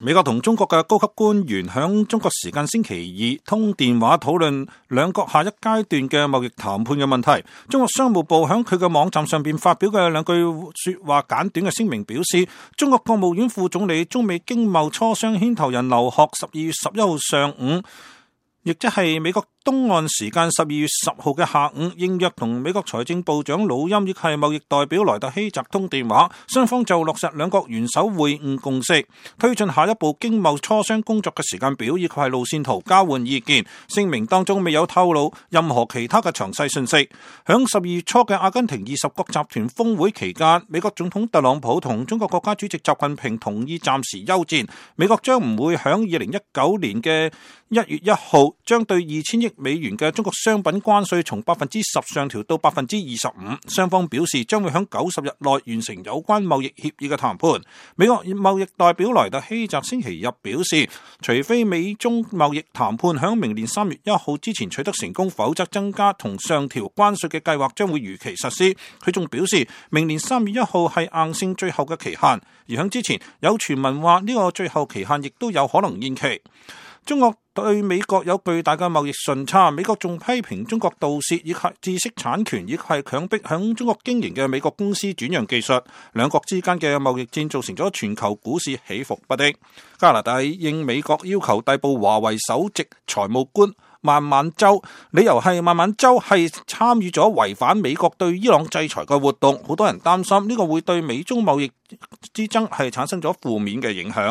美國同中國嘅高級官員響中國時間星期二通電話討論兩國下一階段嘅貿易談判嘅問題。中國商務部響佢嘅網站上邊發表嘅兩句說話簡短嘅聲明表示，中國國務院副總理、中美經貿磋商牽頭人劉鶴12月11號上午，亦即係美國東岸時間12月10號嘅下午，應約同美國財政部長魯欽亦係貿易代表萊特希澤通電話，雙方就落實兩國元首會晤共識，推進下一步經貿磋商工作嘅時間表以及係路線圖交換意見。聲明當中未有透露任何其他嘅詳細信息。響12月初嘅阿根廷20國集團峰會期間，美國總統特朗普同中國國家主席習近平同意暫時休戰，美國將唔會響2019年嘅1月1號將對2000億美元嘅中國商品關稅從10%上調到25%，雙方表示將會喺90日內完成有關貿易協議嘅談判。美國貿易代表萊特希澤星期日表示，除非美中貿易談判喺明年3月1號之前取得成功，否則增加同上調關稅嘅計劃將會如期實施。佢仲表示，明年3月1號係硬性最後嘅期限，而喺之前有傳聞話呢個最後期限亦都有可能延期。中國對美國有巨大嘅貿易順差，美國仲批評中國盜竊以及知識產權，以及係強迫響中國經營嘅美國公司轉讓技術。兩國之間嘅貿易戰造成咗全球股市起伏不定。加拿大應美國要求逮捕華為首席財務官孟晚舟，理由係孟晚舟係參與咗違反美國對伊朗制裁嘅活動，好多人擔心呢個會對美中貿易之爭係產生咗負面嘅影響。